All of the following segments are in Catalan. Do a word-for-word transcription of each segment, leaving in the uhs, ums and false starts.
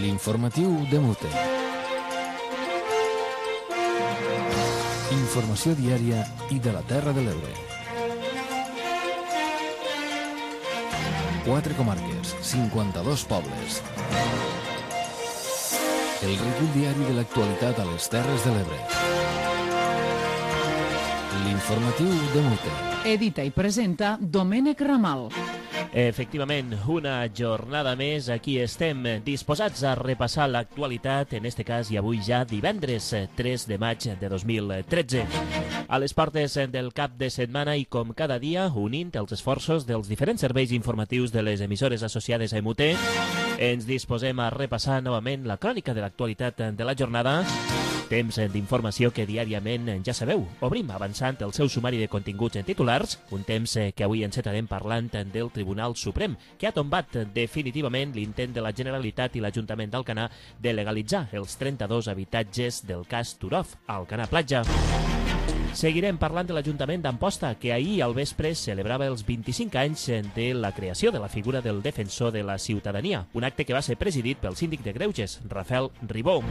L'informatiu de Mute. Informació diària i de la Terra de l'Ebre. Quatre comarques, cinquanta-dos pobles. El recull diari de l'actualitat a les Terres de l'Ebre. L'informatiu de Mute. Edita i presenta Domènec Ramal. Efectivament, una jornada més, aquí estem disposats a repassar l'actualitat, en este cas i avui ja divendres tres de maig de dos mil tretze. A les portes del cap de setmana i com cada dia, unint els esforços dels diferents serveis informatius de les emissores associades a M U T, ens disposem a repassar novament la crònica de l'actualitat de la jornada. Temps d'informació que diàriament, ja sabeu, obrim avançant el seu sumari de continguts en titulars, un temps que avui encetarem parlant del Tribunal Suprem, que ha tombat definitivament l'intent de la Generalitat i l'Ajuntament d'Alcanar de legalitzar els trenta-dos habitatges del cas Turov a Alcanar Platja. Seguirem parlant de l'Ajuntament d'Amposta, que ahir al vespre celebrava els vint-i-cinc anys de la creació de la figura del defensor de la ciutadania, un acte que va ser presidit pel síndic de Greuges, Rafael Ribó.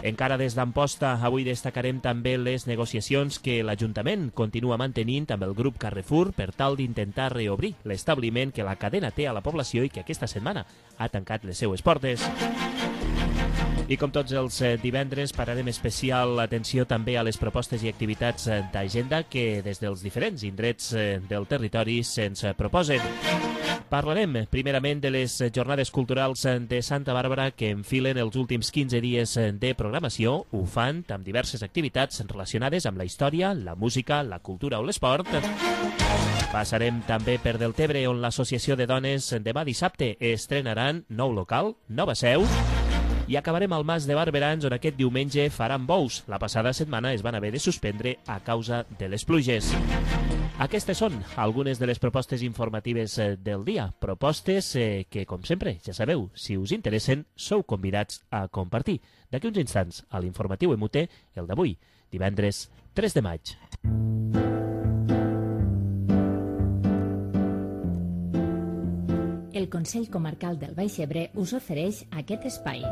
Encara des d'Amposta, avui destacarem també les negociacions que l'Ajuntament continua mantenint amb el grup Carrefour per tal d'intentar reobrir l'establiment que la cadena té a la població i que aquesta setmana ha tancat les seues portes. I com tots els divendres pararem especial atenció també a les propostes i activitats d'agenda que des dels diferents indrets del territori se'ns proposen. Parlarem primerament de les jornades culturals de Santa Bàrbara que enfilen els últims quinze dies de programació. Ho fan amb diverses activitats relacionades amb la història, la música, la cultura o l'esport. Passarem també per Deltebre, on l'Associació de Dones demà dissabte estrenaran nou local, nova seu. I acabarem al Mas de Barberans, on aquest diumenge faran bous. La passada setmana es van haver de suspendre a causa de les pluges. Aquestes són algunes de les propostes informatives del dia. Propostes que, com sempre, ja sabeu, si us interessen, sou convidats a compartir. D'aquí uns instants, a l'informatiu M U T, el d'avui, divendres tres de maig. El Consell Comarcal del Baix Ebre us ofereix aquest espai.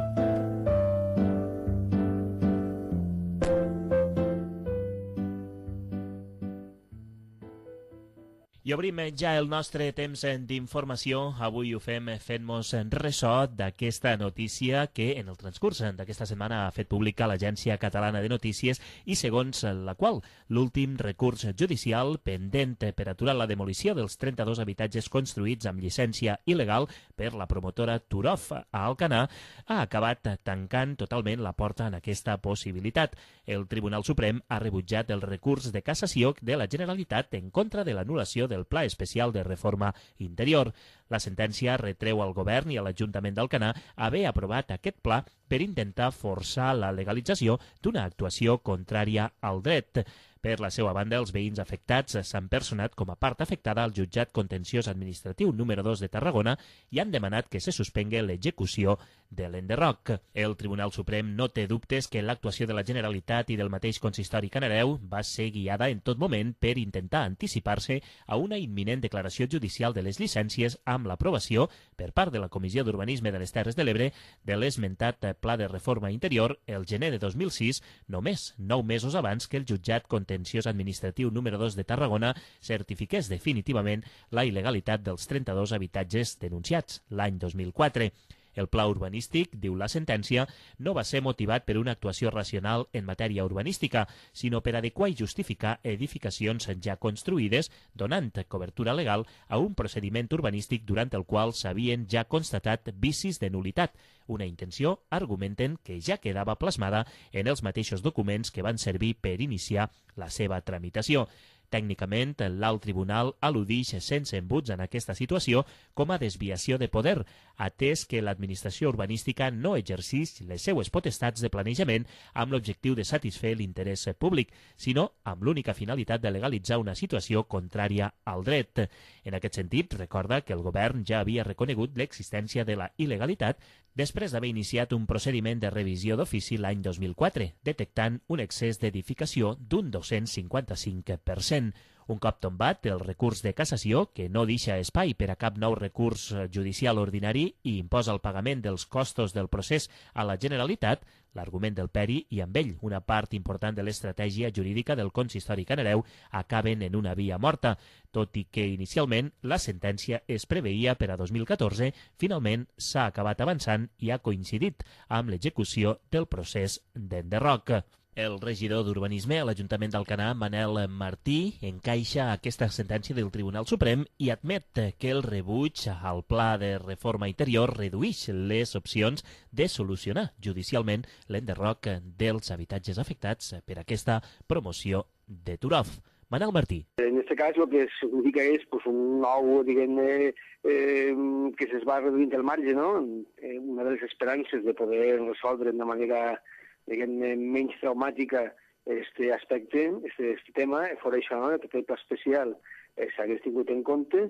I obrim ja el nostre temps d'informació. Avui ho fem fent-nos ressò d'aquesta notícia que en el transcurs d'aquesta setmana ha fet pública l'Agència Catalana de Notícies i segons la qual l'últim recurs judicial pendent per aturar la demolició dels trenta-dos habitatges construïts amb llicència il·legal per la promotora Turov a Alcanar ha acabat tancant totalment la porta en aquesta possibilitat. El Tribunal Suprem ha rebutjat el recurs de cassació de la Generalitat en contra de l'anul·lació del Pla Especial de Reforma Interior. La sentència retreu al govern i a l'Ajuntament d'Alcanar haver aprovat aquest pla per intentar forçar la legalització d'una actuació contrària al dret. Per la seva banda, els veïns afectats s'han personat com a part afectada al jutjat contenciós administratiu número dos de Tarragona i han demanat que se suspengui l'execució de l'enderroc. El Tribunal Suprem no té dubtes que l'actuació de la Generalitat i del mateix consistori canareu va ser guiada en tot moment per intentar anticipar-se a una imminent declaració judicial de les llicències amb l'aprovació per part de la Comissió d'Urbanisme de les Terres de l'Ebre de l'esmentat Pla de Reforma Interior el gener de dos mil sis, només nou mesos abans que el jutjat contenciós administratiu número dos de Tarragona certifiqués definitivament la il·legalitat dels trenta-dos habitatges denunciats l'any dos mil quatre. El pla urbanístic, diu la sentència, no va ser motivat per una actuació racional en matèria urbanística, sinó per adequar i justificar edificacions ja construïdes, donant cobertura legal a un procediment urbanístic durant el qual s'havien ja constatat vicis de nulitat, una intenció, argumenten, que ja quedava plasmada en els mateixos documents que van servir per iniciar la seva tramitació. Tècnicament, l'alt tribunal al·ludix sense embuts en aquesta situació com a desviació de poder, atès que l'administració urbanística no exercix les seues potestats de planejament amb l'objectiu de satisfer l'interès públic, sinó amb l'única finalitat de legalitzar una situació contrària al dret. En aquest sentit, recorda que el govern ja havia reconegut l'existència de la il·legalitat després d'haver iniciat un procediment de revisió d'ofici l'any dos mil quatre, detectant un excés d'edificació d'un dos-cents cinquanta-cinc per cent. Un cop tombat el recurs de cassació, que no deixa espai per a cap nou recurs judicial ordinari i imposa el pagament dels costos del procés a la Generalitat, l'argument del Peri i amb ell una part important de l'estratègia jurídica del consistori canareu acaben en una via morta, tot i que inicialment la sentència es preveia per a dos mil catorze, finalment s'ha acabat avançant i ha coincidit amb l'execució del procés d'enderroc. El regidor d'Urbanisme a l'Ajuntament d'Alcanar, Manel Martí, encaixa aquesta sentència del Tribunal Suprem i admet que el rebuig al pla de reforma interior redueix les opcions de solucionar judicialment l'enderroc dels habitatges afectats per aquesta promoció de Turov. Manel Martí. En aquest cas el que significa és pues, un nou, diguem-ne, eh, que s'es va reduint el marge, no? Eh, una de les esperances de poder resoldre d'una manera diguem-ne, menys traumàtica este aspecte, este, este tema, fora això, no? Que aquest pla especial eh, s'hagués tingut en compte,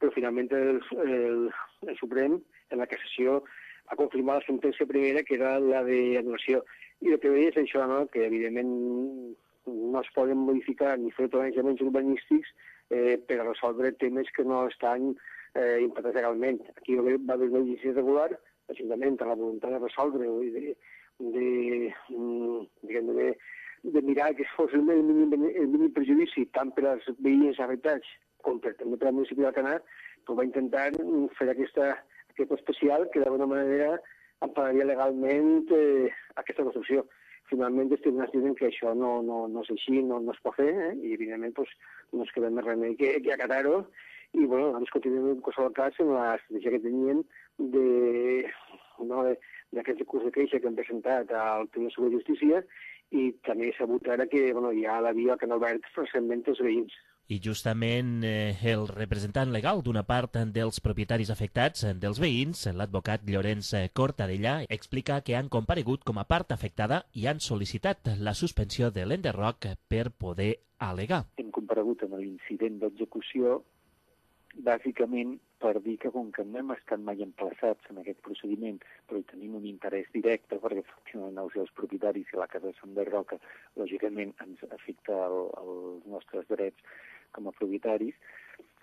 però finalment el, el, el Suprem, en la cassació, ha confirmat la sentència primera, que era la d'anul·lació. I el que veia és això, no? Que evidentment no es poden modificar ni fer planejaments urbanístics eh, per a resoldre temes que no estan eh, implantats legalment. Aquí va haver una llicència regular, l'Ajuntament, amb la voluntat de resoldre-ho i de De, de, de mirar que fos el mínim, el mínim perjudici tant per als veïns afectats com per, també per al municipi d'Alcanar, però va intentar fer aquesta, aquest especial que d'alguna manera empararia legalment eh, aquesta construcció. Finalment els tribunals diuen que això no, no, no és així, no, no es pot fer, eh? I evidentment pues, no es queda més remei que, que acatar-ho. I bueno, nosaltres continuem en qualsevol cas en la estratègia que tenien de, no, de d'aquest recurs de queixa que hem presentat al Tribunal Superior de Justícia i també s'ha sabut ara que bueno, hi ha la via que han obert recentment els veïns. I justament eh, el representant legal d'una part dels propietaris afectats, dels veïns, l'advocat Llorenç Cortadellà, explica que han comparegut com a part afectada i han sol·licitat la suspensió de l'enderroc per poder al·legar. Hem comparegut en l'incident d'execució bàsicament per dir que com que no hem estat mai emplaçats en aquest procediment, però hi tenim un interès directe, perquè efectivament els seus propietaris i la casa s'enderroca, lògicament ens afecta el, els nostres drets com a propietaris,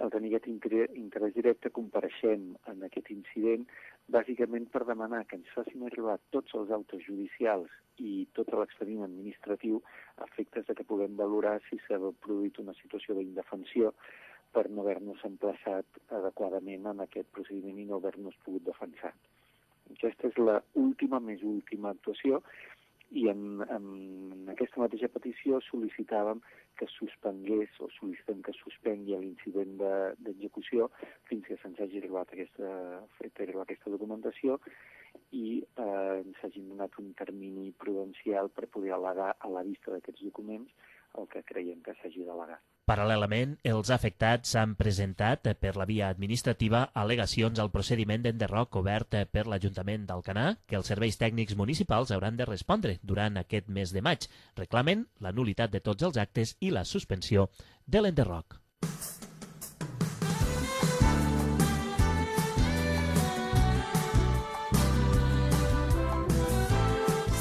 al tenir aquest interès directe compareixem en aquest incident bàsicament per demanar que ens facin arribar tots els actes judicials i tot l'expedient administratiu a efectes de que puguem valorar si s'ha produït una situació d'indefensió per no haver-nos emplaçat adequadament en aquest procediment i no haver-nos pogut defensar. Aquesta és l'última, més última actuació i en, en aquesta mateixa petició sol·licitàvem que suspengués o sol·licitem que suspengui l'incident d'execució fins que se'ns hagi arribat aquesta, fet arribar aquesta documentació i eh, ens hagin donat un termini prudencial per poder al·legar a la vista d'aquests documents el que creiem que s'hagi d'al·legar. Paral·lelament, els afectats han presentat per la via administrativa al·legacions al procediment d'enderroc obert per l'Ajuntament d'Alcanar, que els serveis tècnics municipals hauran de respondre durant aquest mes de maig. Reclamen la nul·litat de tots els actes i la suspensió de l'enderroc.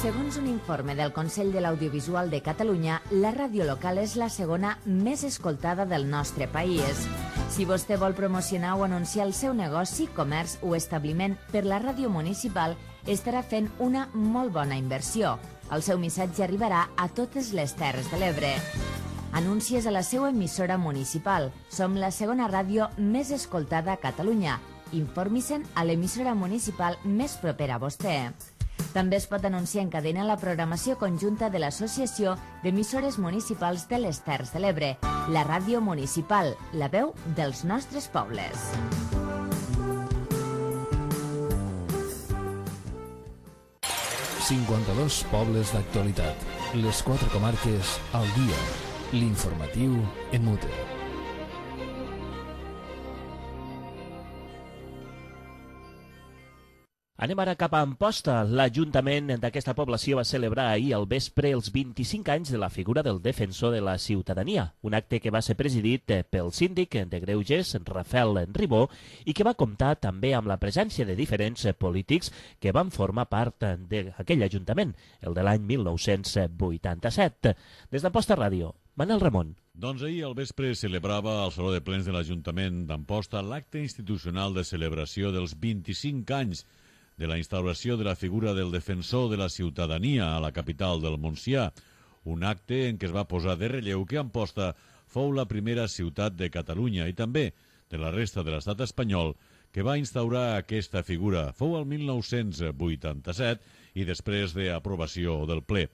Segons un informe del Consell de l'Audiovisual de Catalunya, la ràdio local és la segona més escoltada del nostre país. Si vostè vol promocionar o anunciar el seu negoci, comerç o establiment per la ràdio municipal, estarà fent una molt bona inversió. El seu missatge arribarà a totes les Terres de l'Ebre. Anuncies a la seva emissora municipal. Som la segona ràdio més escoltada a Catalunya. Informi-se'n a l'emissora municipal més propera a vostè. També es pot anunciar en cadena la programació conjunta de l'Associació d'Emissores Municipals de les Terres de l'Ebre, la ràdio municipal, la veu dels nostres pobles. cinquanta-dos pobles d'actualitat. Les quatre comarques al dia. L'informatiu en Mute. Anem ara cap a Amposta. L'Ajuntament d'aquesta població va celebrar ahir al vespre els vint-i-cinc anys de la figura del defensor de la ciutadania, un acte que va ser presidit pel síndic de Greuges, Rafael Ribó, i que va comptar també amb la presència de diferents polítics que van formar part d'aquell Ajuntament, el de l'any mil nou-cents vuitanta-set. Des d'Amposta Ràdio, Manel Ramon. Doncs ahir al vespre celebrava al Saló de Plens de l'Ajuntament d'Amposta l'acte institucional de celebració dels vint-i-cinc anys de la instauració de la figura del defensor de la ciutadania a la capital del Montsià, un acte en què es va posar de relleu que Amposta fou la primera ciutat de Catalunya i també de la resta de l'estat espanyol que va instaurar aquesta figura. Fou el mil nou-cents vuitanta-set i després d'aprovació del ple.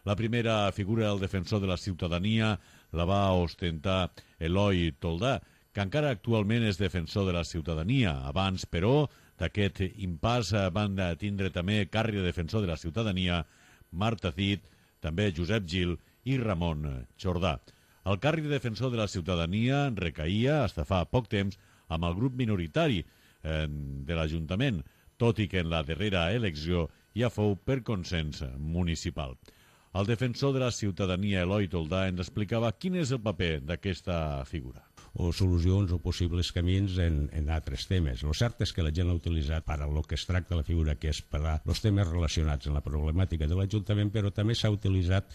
La primera figura del defensor de la ciutadania la va ostentar Eloi Toldà, que encara actualment és defensor de la ciutadania. Abans, però, d'aquest impàs van tindre també càrrec de defensor de la ciutadania Marta Cid, també Josep Gil i Ramon Jordà. El càrrec de defensor de la ciutadania recaïa, fins fa poc temps, amb el grup minoritari eh, de l'Ajuntament, tot i que en la darrera elecció ja fou per consens municipal. El defensor de la ciutadania, Eloi Toldà, ens explicava quin és el paper d'aquesta figura. O solucions o possibles camins en, en altres temes. El cert és que la gent l'ha utilitzat per a lo que es tracta la figura, que és per a els temes relacionats amb la problemàtica de l'Ajuntament, però també s'ha utilitzat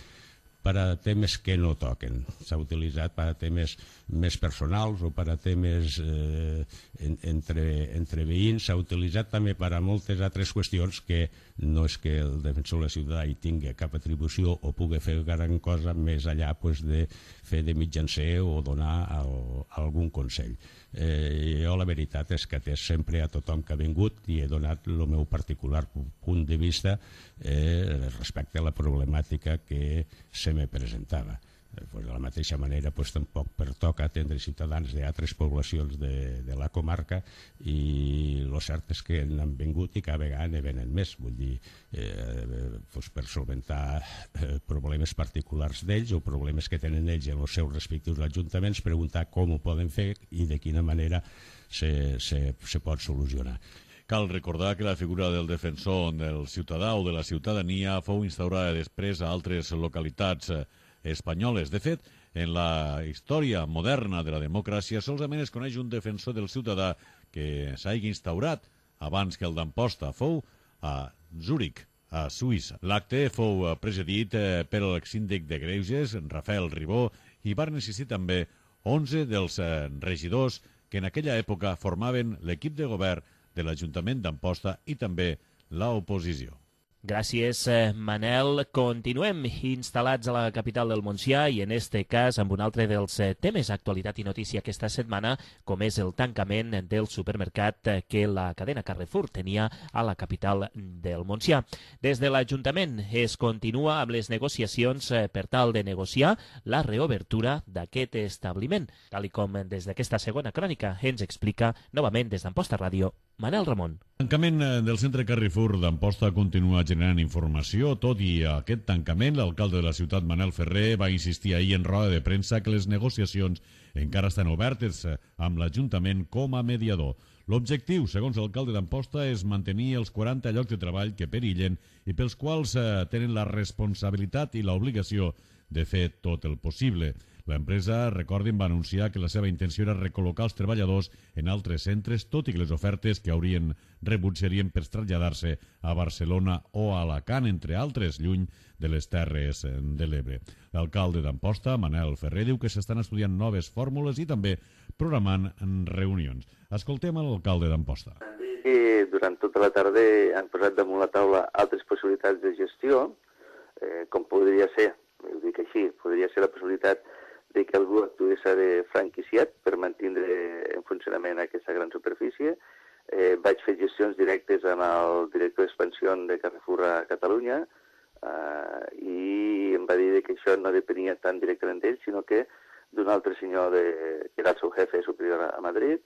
per a temes que no toquen. S'ha utilitzat per a temes més personals o per a temes eh, en, entre, entre veïns. S'ha utilitzat també per a moltes altres qüestions que no és que el defensor de la ciutat hi tingui cap atribució o pugui fer gran cosa més allà pues, de fer de mitjancer o donar al, algun consell. Eh, jo la veritat és que atès sempre a tothom que ha vingut i he donat el meu particular punt de vista eh, respecte a la problemàtica que se me presentava. Eh, pues de la mateixa manera pues, tampoc pertoca atendre ciutadans d'altres poblacions de, de la comarca i el cert és que n'han vingut i cada vegada ne venen més, vull dir, eh, pues, per solventar eh, problemes particulars d'ells o problemes que tenen ells en els seus respectius ajuntaments, preguntar com ho poden fer i de quina manera se, se, se pot solucionar. Cal recordar que la figura del defensor del ciutadà o de la ciutadania fou instaurada després a altres localitats espanyoles. De fet, en la història moderna de la democràcia solament es coneix un defensor del ciutadà que s'hagi instaurat abans que el d'Amposta. Fou a Zúrich, a Suïssa. L'acte fou presidit per l'exsíndic de Greuges, Rafael Ribó, i van assistir també onze dels regidors que en aquella època formaven l'equip de govern de l'Ajuntament d'Amposta i també l'oposició. Gràcies, Manel. Continuem instal·lats a la capital del Montsià i en este cas amb un altre dels temes d'actualitat i notícia aquesta setmana, com és el tancament del supermercat que la cadena Carrefour tenia a la capital del Montsià. Des de l'Ajuntament es continua amb les negociacions per tal de negociar la reobertura d'aquest establiment, tal i com des d'aquesta segona crònica ens explica novament des d'Amposta Ràdio Manel Ramon. El tancament del centre Carrefour d'Amposta continua generant informació. Tot i aquest tancament, l'alcalde de la ciutat, Manel Ferrer, va insistir ahir en roda de premsa que les negociacions encara estan obertes amb l'Ajuntament com a mediador. L'objectiu, segons l'alcalde d'Amposta, és mantenir els quaranta llocs de treball que perillen i pels quals tenen la responsabilitat i l'obligació de fer tot el possible. L'empresa, recordin, va anunciar que la seva intenció era recol·locar els treballadors en altres centres, tot i que les ofertes que haurien rebut serien per traslladar-se a Barcelona o a Alacant, entre altres, lluny de les Terres de l'Ebre. L'alcalde d'Amposta, Manel Ferrer, diu que s'estan estudiant noves fórmules i també programant reunions. Escoltem l'alcalde d'Amposta. I durant tota la tarda han posat damunt la taula altres possibilitats de gestió, eh, com podria ser, ho dic així, podria ser la possibilitat de que algú actués de franquiciat per mantenir en funcionament aquesta gran superfície. Eh, vaig fer gestions directes amb el director d'expansió de Carrefour a Catalunya eh, i em va dir que això no depenia tan directament d'ell, sinó que d'un altre senyor de, que era el seu jefe superior a Madrid,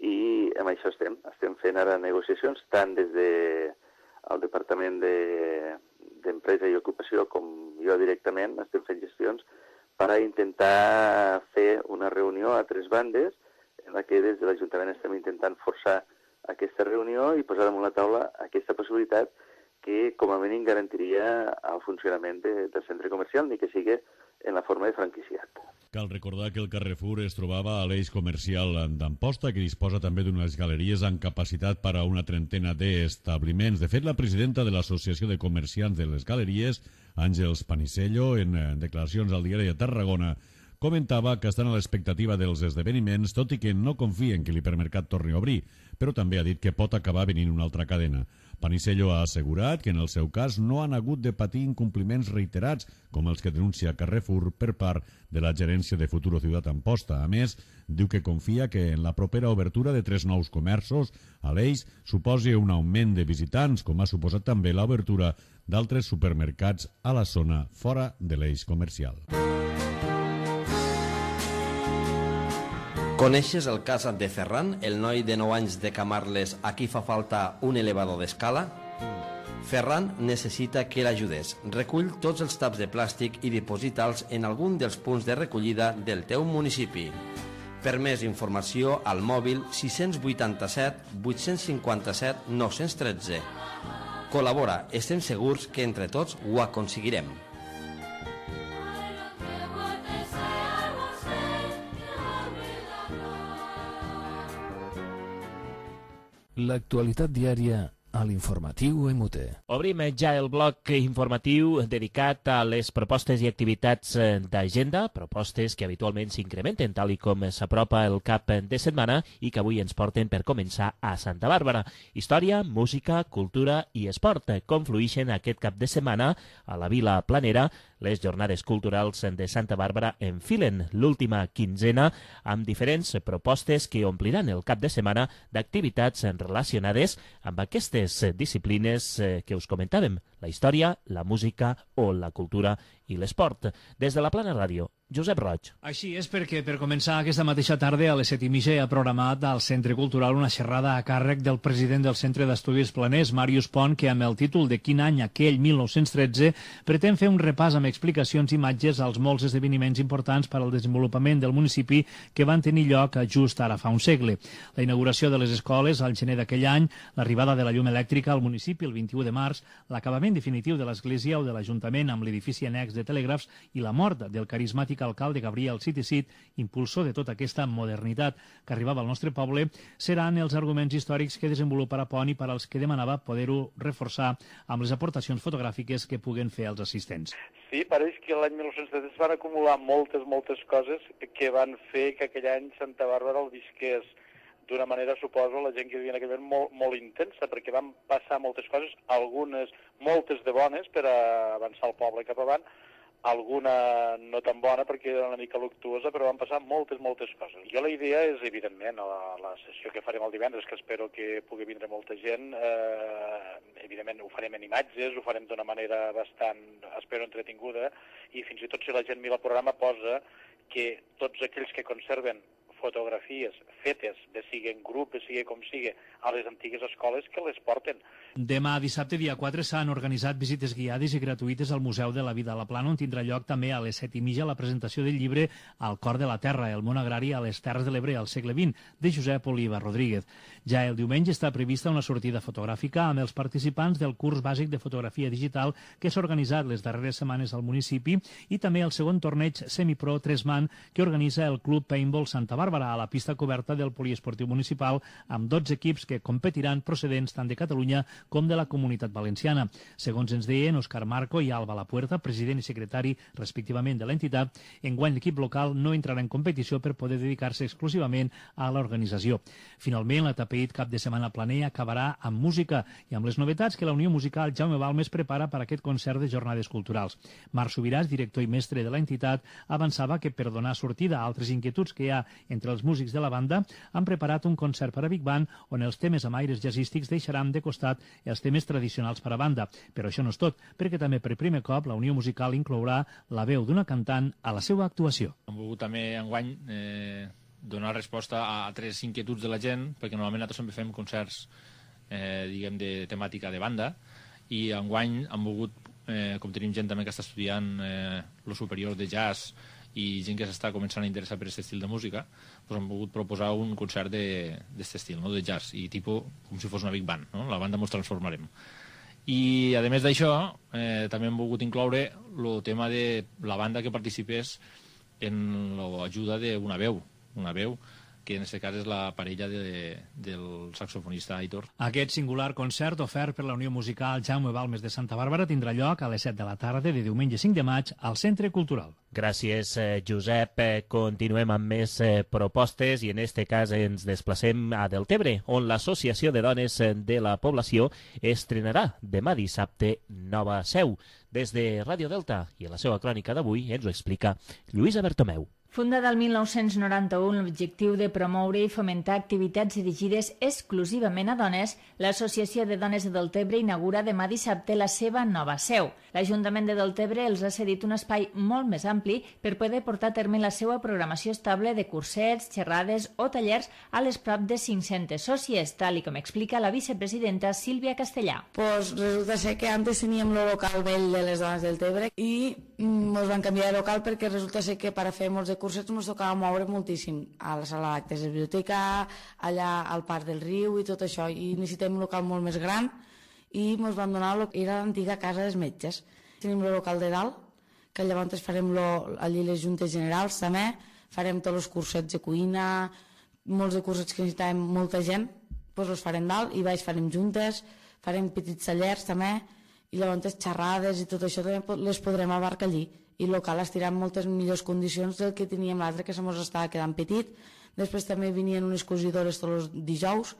i amb això estem. Estem fent ara negociacions tant des del de Departament d'Empresa de, i Ocupació com jo directament. Estem fent gestions per a intentar fer una reunió a tres bandes en la que des de l'Ajuntament estem intentant forçar aquesta reunió i posar damunt la taula aquesta possibilitat que com a mínim garantiria el funcionament de, del centre comercial, ni que sigui en la forma de franquiciat. Cal recordar que el Carrefour es trobava a l'eix comercial d'Amposta, que disposa també d'unes galeries amb capacitat per a una trentena d'establiments. De fet, la presidenta de l'Associació de Comerciants de les Galeries, Àngels Panicello, en declaracions al diari de Tarragona, comentava que estan a l'expectativa dels esdeveniments, tot i que no confien que l'hipermercat torni a obrir, però també ha dit que pot acabar venint una altra cadena. Panisello ha assegurat que en el seu cas no han hagut de patir incompliments reiterats, com els que denuncia Carrefour per part de la gerència de Futuro Ciutat Amposta. A més, diu que confia que en la propera obertura de tres nous comerços a l'Eix suposi un augment de visitants, com ha suposat també l'obertura d'altres supermercats a la zona fora de l'Eix comercial. Coneixes el cas de Ferran, el noi de nou anys de Camarles a qui fa falta un elevador d'escala? Ferran necessita que l'ajudes. Recull tots els taps de plàstic i diposita'ls en algun dels punts de recollida del teu municipi. Per més informació, al mòbil sis vuitanta-set vuit cinquanta-set nou tretze. Col·labora, estem segurs que entre tots ho aconseguirem. L'actualitat diària a l'informatiu E M U T E. Obrim ja el bloc informatiu dedicat a les propostes i activitats d'agenda, propostes que habitualment s'incrementen tal i com s'apropa el cap de setmana i que avui ens porten per començar a Santa Bàrbara. Història, música, cultura i esport confluïxen aquest cap de setmana a la Vila Planera. Les jornades culturals de Santa Bàrbara enfilen l'última quinzena amb diferents propostes que ompliran el cap de setmana d'activitats relacionades amb aquestes disciplines que us comentàvem, la història, la música o la cultura i l'esport. Des de la Plana Ràdio, Josep Roig. Així és, perquè per començar aquesta mateixa tarda a les set i mitja hi ha programat al Centre Cultural una xerrada a càrrec del president del Centre d'Estudis Planers, Màrius Pont, que amb el títol de Quin any aquell mil nou-cents tretze pretén fer un repàs amb explicacions i imatges als molts esdeveniments importants per al desenvolupament del municipi que van tenir lloc just ara fa un segle. La inauguració de les escoles al gener d'aquell any, l'arribada de la llum elèctrica al municipi el vint-i-u de març, l'acabament definitiu de l'església o de l'Ajuntament amb l'edifici annex de telègrafs i la mort del carismàtic alcalde Gabriel Cid i Cid, impulsor de tota aquesta modernitat que arribava al nostre poble, seran els arguments històrics que desenvoluparà Pont i per als que demanava poder-ho reforçar amb les aportacions fotogràfiques que puguen fer els assistents. Sí, pareix que l'any mil nou-cents trenta es van acumular moltes, moltes coses que van fer que aquell any Santa Bàrbara el visqués d'una manera, suposo, la gent que vivia en aquell moment molt, molt intensa, perquè van passar moltes coses, algunes, moltes de bones per a avançar el poble cap avant, alguna no tan bona perquè era una mica luctuosa, però van passar moltes, moltes coses. Jo la idea és, evidentment, a la, la sessió que farem el divendres, que espero que pugui vindre molta gent, eh, evidentment ho farem en imatges, ho farem d'una manera bastant, espero, entretinguda, i fins i tot si la gent mira el programa posa que tots aquells que conserven fotografies fetes, de sigui en grup, de sigui com sigui, a les antigues escoles que les porten. Demà, dissabte, dia quatre, s'han organitzat visites guiades i gratuïtes al Museu de la Vida a la Plana, on tindrà lloc també a les set i mitja la presentació del llibre Al cor de la terra, el món agrari a les Terres de l'Ebre al segle vint, de Josep Oliva Rodríguez. Ja el diumenge està prevista una sortida fotogràfica amb els participants del curs bàsic de fotografia digital que s'ha organitzat les darreres setmanes al municipi i també el segon torneig semipro tres man que organitza el Club Paintball Santa Bàrbara a la pista coberta del poliesportiu municipal amb dotze equips que competiran procedents tant de Catalunya com de la Comunitat Valenciana. Segons ens deien Òscar Marco i Alba Lapuerta, president i secretari respectivament de l'entitat, enguany l'equip local no entrarà en competició per poder dedicar-se exclusivament a l'organització. Finalment, l'atapeït cap de setmana planer acabarà amb música i amb les novetats que la Unió Musical Jaume Balmes prepara per a aquest concert de jornades culturals. Marc Subiràs, director i mestre de l'entitat, avançava que per donar sortida a altres inquietuds que hi ha entre els músics de la banda, han preparat un concert per a Big Band on els temes amb aires jazzístics deixaran de costat els temes tradicionals per a banda. Però això no és tot, perquè també per primer cop la Unió Musical inclourà la veu d'una cantant a la seva actuació. Hem volgut també enguany eh, donar resposta a altres inquietuds de la gent, perquè normalment nosaltres sempre fem concerts eh, diguem de temàtica de banda, i enguany hem volgut, eh, com tenim gent també que està estudiant eh, lo superior de jazz i gent que s'està començant a interessar per aquest estil de música, doncs hem volgut proposar un concert d'aquest estil, no? De jazz, i tipus com si fos una big band, no? La banda ens transformarem. I a més d'això, eh, també hem volgut incloure el tema de la banda que participés en l'ajuda d'una veu, una veu que en aquest cas és la parella de, del saxofonista Aitor. Aquest singular concert ofert per la Unió Musical Jaume Balmes de Santa Bàrbara tindrà lloc a les set de la tarda de diumenge cinc de maig al Centre Cultural. Gràcies, Josep. Continuem amb més propostes i en este cas ens desplacem a Deltebre, on l'Associació de Dones de la Població estrenarà demà dissabte nova seu. Des de Ràdio Delta i a la seva crònica d'avui ens ho explica Lluïsa Bertomeu. Fundada el mil nou-cents noranta-u amb l'objectiu de promoure i fomentar activitats dirigides exclusivament a dones, l'Associació de Dones de Deltebre inaugura demà dissabte la seva nova seu. L'Ajuntament de Deltebre els ha cedit un espai molt més ampli per poder portar a terme la seva programació estable de cursets, xerrades o tallers a les prop de cinc-centes sòcies, tal i com explica la vicepresidenta Sílvia Castellà. Pues resulta ser que antes teníem el local vell de les dones del Tebre i ens van canviar de local perquè resulta ser que per a fer molts de cursets ens tocava moure moltíssim a la sala d'actes de biblioteca, allà al Parc del Riu i tot això, i necessitem un local molt més gran i ens van donar el que era l'antiga casa dels metges. Tenim el local de dalt, que llavors farem lo, allí les juntes generals també, farem tots els cursets de cuina, molts de cursets que necessitàvem molta gent, doncs els farem dalt i baix farem juntes, farem petits tallers també, i llavors xerrades i tot això també les podrem abarcar allí. I el local estirà en moltes millors condicions del que teníem l'altre, que se mos estava quedant petit. Després també venien unes cosidores tots els dijous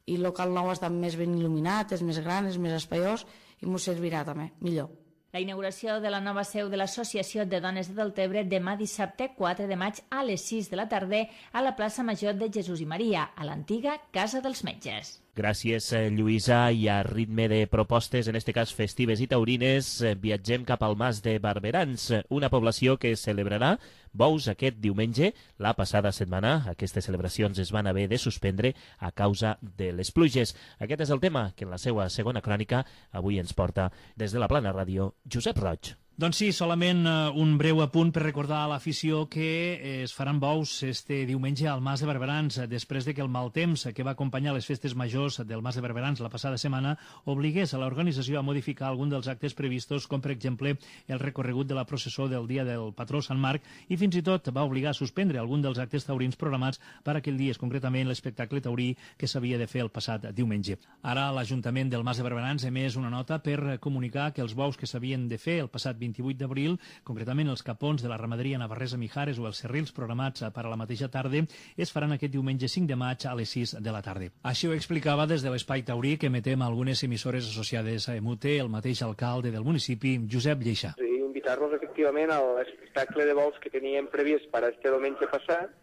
i el local nou està més ben il·luminat, és més gran, és més espaiós i ens servirà també millor. La inauguració de la nova seu de l'Associació de Dones de Deltebre demà dissabte quatre de maig a les sis de la tarda a la plaça Major de Jesús i Maria, a l'antiga Casa dels Metges. Gràcies, Lluïsa. I a ritme de propostes, en este cas festives i taurines, viatgem cap al Mas de Barberans, una població que celebrarà bous aquest diumenge. La passada setmana aquestes celebracions es van haver de suspendre a causa de les pluges. Aquest és el tema que en la seva segona crònica avui ens porta des de la Plana Ràdio Josep Roig. Doncs sí, solament uh, un breu apunt per recordar a l'afició que eh, es faran bous este diumenge al Mas de Barberans, després de que el mal temps que va acompanyar les festes majors del Mas de Barberans la passada setmana obligués a l'organització a modificar algun dels actes previstos, com per exemple el recorregut de la processó del dia del patró Sant Marc, i fins i tot va obligar a suspendre algun dels actes taurins programats per aquell dia, concretament l'espectacle taurí que s'havia de fer el passat diumenge. Ara l'Ajuntament del Mas de Barberans ha emès una nota per comunicar que els bous que s'havien de fer el passat vint-i-vuit d'abril, concretament els capons de la ramaderia Navarresa Mijares o els serrils programats per a la mateixa tarda, es faran aquest diumenge cinc de maig a les sis de la tarda. Així ho explicava des de l'Espai Taurí que emetem algunes emissores associades a EMUTE el mateix alcalde del municipi, Josep Lleixà. Sí, invitar-los efectivament a l'espectacle de bous que teníem previst per a este diumenge passat,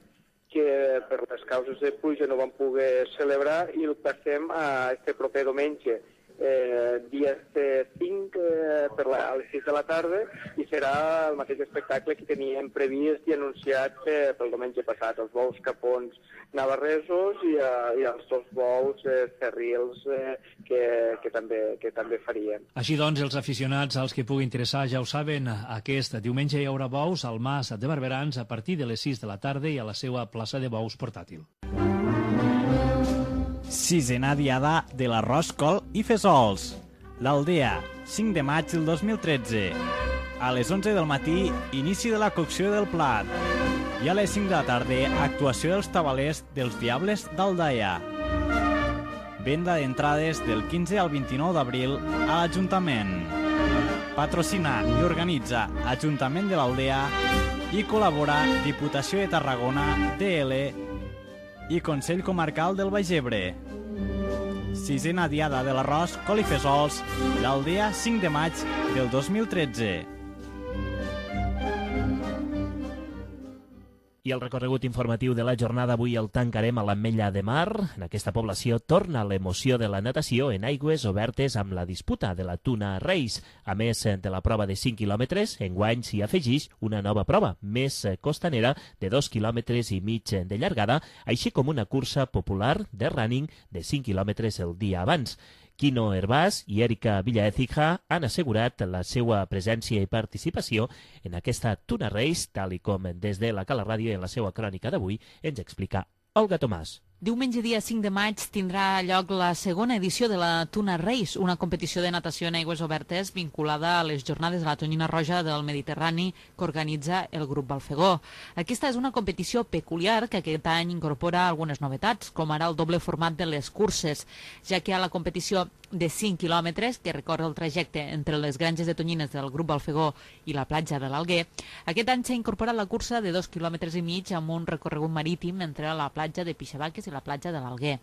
que per les causes de pluja no van poder celebrar, i el passem a este proper diumenge. Eh, dia cinc eh, per la, a les sis de la tarda, i serà el mateix espectacle que teníem previst i anunciat eh, pel diumenge passat, els bous capons navarresos i, eh, i els dos bous eh, cerrils eh, que, que, també, que també faríem. Així doncs, els aficionats als que pugui interessar ja ho saben, aquest diumenge hi haurà bous al Mas de Barberans a partir de les sis de la tarda i a la seva plaça de bous portàtil. Sisena diada de l'arròs, col i fesols. L'Aldea, cinc de maig del dos mil tretze. A les onze del matí, inici de la cocció del plat. I a les cinc de la tarda, actuació dels tabalers dels Diables d'Aldaia. Venda d'entrades del quinze al vint-i-nou d'abril a l'Ajuntament. Patrocina i organitza Ajuntament de l'Aldea i col·labora Diputació de Tarragona, D L i Consell Comarcal del Baix Ebre. Sisena diada de l'arròs, col i fesols, l'Aldea cinc de maig del dos mil tretze. I el recorregut informatiu de la jornada avui el tancarem a l'Ametlla de Mar. En aquesta població torna l'emoció de la natació en aigües obertes amb la disputa de la Tuna Reis. A més de la prova de cinc quilòmetres, enguany s'hi afegeix una nova prova, més costanera, de dos quilòmetres i mig de llargada, així com una cursa popular de running de cinc quilòmetres el dia abans. Quino Hervás i Erika Villaécija han assegurat la seva presència i participació en aquesta Tuna Race, tal i com des de la Cala Ràdio en la seva crònica d'avui ens explica Olga Tomàs. Diumenge dia cinc de maig tindrà lloc la segona edició de la Tuna Race, una competició de natació en aigües obertes vinculada a les jornades de la tonyina roja del Mediterrani que organitza el grup Balfegó. Aquesta és una competició peculiar que aquest any incorpora algunes novetats, com ara el doble format de les curses, ja que hi ha la competició de cinc quilòmetres que recorre el trajecte entre les granges de tonyines del grup Balfegó i la platja de l'Alguer. Aquest any s'ha incorporat la cursa de dos quilòmetres i mig amb un recorregut marítim entre la platja de Pixabaques i la platja de l'Alguer.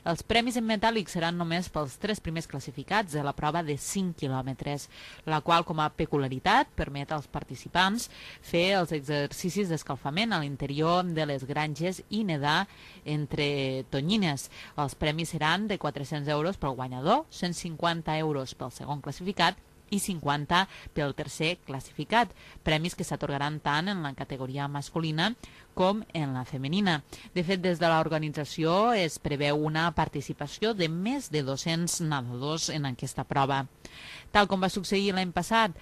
Els premis en metàl·lic seran només pels tres primers classificats de la prova de cinc quilòmetres, la qual, com a peculiaritat, permet als participants fer els exercicis d'escalfament a l'interior de les granges i nedar entre tonyines. Els premis seran de quatre-cents euros pel guanyador, cent cinquanta euros pel segon classificat i cinquanta pel tercer classificat, premis que s'atorgaran tant en la categoria masculina com en la femenina. De fet, des de l'organització es preveu una participació de més de dos-cents nedadors en aquesta prova. Tal com va succeir l'any passat,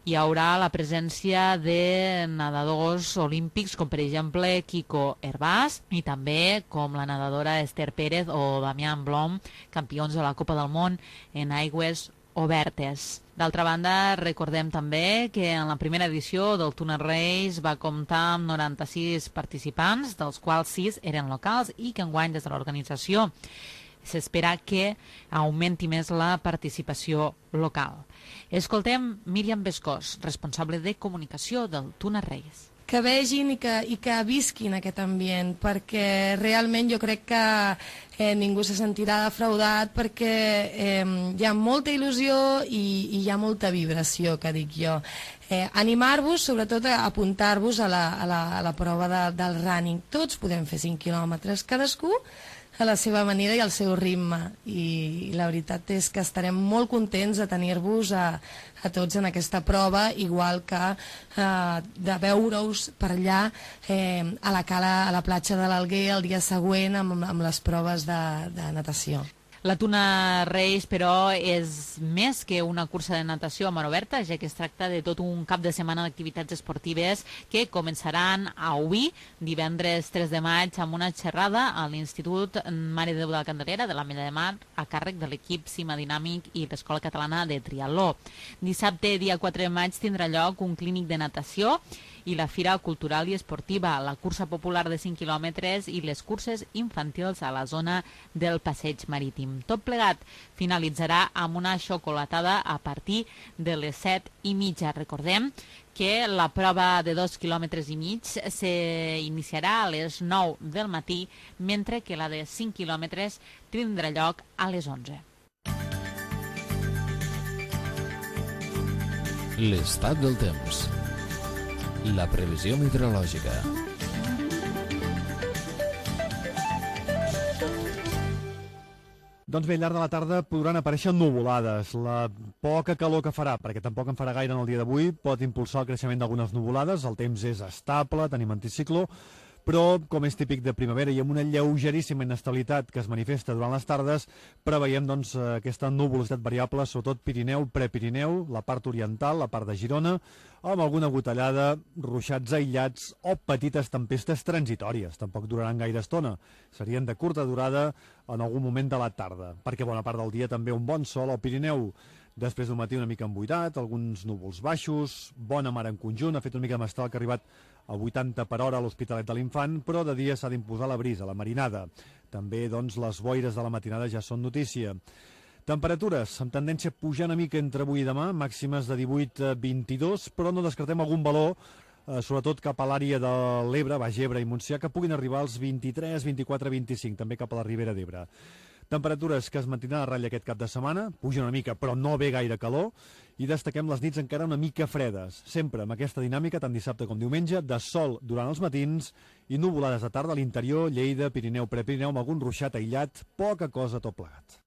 hi haurà la presència de nedadors olímpics com per exemple Kiko Hervás i també com la nedadora Esther Pérez o Damián Blom, campions de la Copa del Món en aigües obertes. D'altra banda, recordem també que en la primera edició del Tuna Race va comptar amb noranta-sis participants, dels quals sis eren locals, i que enguany des de l'organització s'espera que augmenti més la participació local. Escoltem Míriam Bescós, responsable de comunicació del Tuna Race. Que vegin i que, i que visquin aquest ambient, perquè realment jo crec que eh, ningú se sentirà defraudat, perquè eh, hi ha molta il·lusió i, i hi ha molta vibració, que dic jo. Eh, Animar-vos, sobretot a apuntar-vos a, la, a, la, a la prova de, del running. Tots podem fer cinc quilòmetres, cadascú a la seva manera i al seu ritme, i la veritat és que estarem molt contents de tenir-vos a, a tots en aquesta prova, igual que eh, de veure-us per allà eh, a la cala, a la platja de l'Alguer el dia següent amb, amb les proves de, de natació. La Tuna Race, però, és més que una cursa de natació a mar oberta, ja que es tracta de tot un cap de setmana d'activitats esportives que començaran avui, divendres tres de maig, amb una xerrada a l'Institut Mare de Déu de la Candelera de l'Ametlla de Mar a càrrec de l'equip Cima Dinàmic i l'Escola Catalana de Triatló. Dissabte, dia quatre de maig, tindrà lloc un clínic de natació i la Fira Cultural i Esportiva, la cursa popular de cinc quilòmetres i les curses infantils a la zona del Passeig Marítim. Tot plegat finalitzarà amb una xocolatada a partir de les set i mitja. Recordem que la prova de dos quilòmetres i mig s'iniciarà a les nou del matí, mentre que la de cinc quilòmetres tindrà lloc a les onze. L'estat del temps. La previsió meteorològica. Doncs bé, al llarg de la tarda podran aparèixer nuvolades. La poca calor que farà, perquè tampoc en farà gaire en el dia d'avui, pot impulsar el creixement d'algunes nuvolades. El temps és estable, tenim anticicló, però, com és típic de primavera i amb una lleugeríssima inestabilitat que es manifesta durant les tardes, preveiem doncs, aquesta nuvolositat variable, sobretot Pirineu, Prepirineu, la part oriental, la part de Girona, amb alguna gotellada, ruixats aïllats o petites tempestes transitòries. Tampoc duraran gaire estona. Serien de curta durada en algun moment de la tarda, perquè bona part del dia també un bon sol al Pirineu. Després d'un matí una mica emboirat, alguns núvols baixos, bona mar en conjunt, ha fet una mica de mestral que ha arribat a vuitanta per hora a l'Hospitalet de l'Infant, però de dia s'ha d'imposar la brisa, la marinada. També, doncs, les boires de la matinada ja són notícia. Temperatures amb tendència a pujar una mica entre avui i demà, màximes de divuit a vint-i-dos, però no descartem algun valor, eh, sobretot cap a l'àrea de l'Ebre, Baix Ebre i Montsià, que puguin arribar als vint-i-tres, vint-i-quatre, vint-i-cinc, també cap a la Ribera d'Ebre. Temperatures que es mantindran a ratlla aquest cap de setmana, pugen una mica però no ve gaire calor, i destaquem les nits encara una mica fredes, sempre amb aquesta dinàmica tant dissabte com diumenge, de sol durant els matins i nuvolades de tarda a l'interior, Lleida, Pirineu, Prepirineu, amb algun ruixat aïllat, poca cosa tot plegat.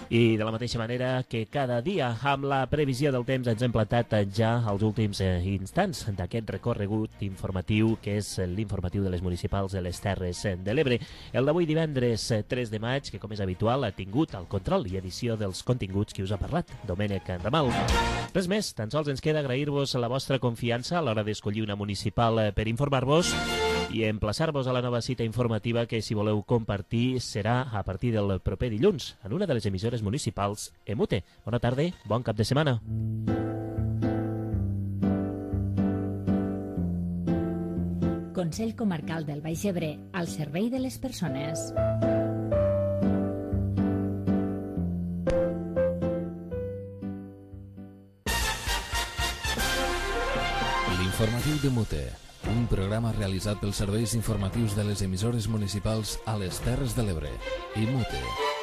I de la mateixa manera que cada dia amb la previsió del temps ens hem plantat ja als últims eh, instants d'aquest recorregut informatiu que és l'informatiu de les municipals de les Terres de l'Ebre. El d'avui divendres tres de maig, que com és habitual ha tingut el control i edició dels continguts que us ha parlat Domènec Ramal. Res més, tan sols ens queda agrair-vos la vostra confiança a l'hora d'escollir una municipal per informar-vos I emplaçar-vos a la nova cita informativa que, si voleu compartir, serà a partir del proper dilluns en una de les emissores municipals EMUTE. Bona tarda, bon cap de setmana. Consell Comarcal del Baix Ebre, al servei de les persones. L'informatiu de Mute, un programa realitzat pels serveis informatius de les emissores municipals a les Terres de l'Ebre. I Mute.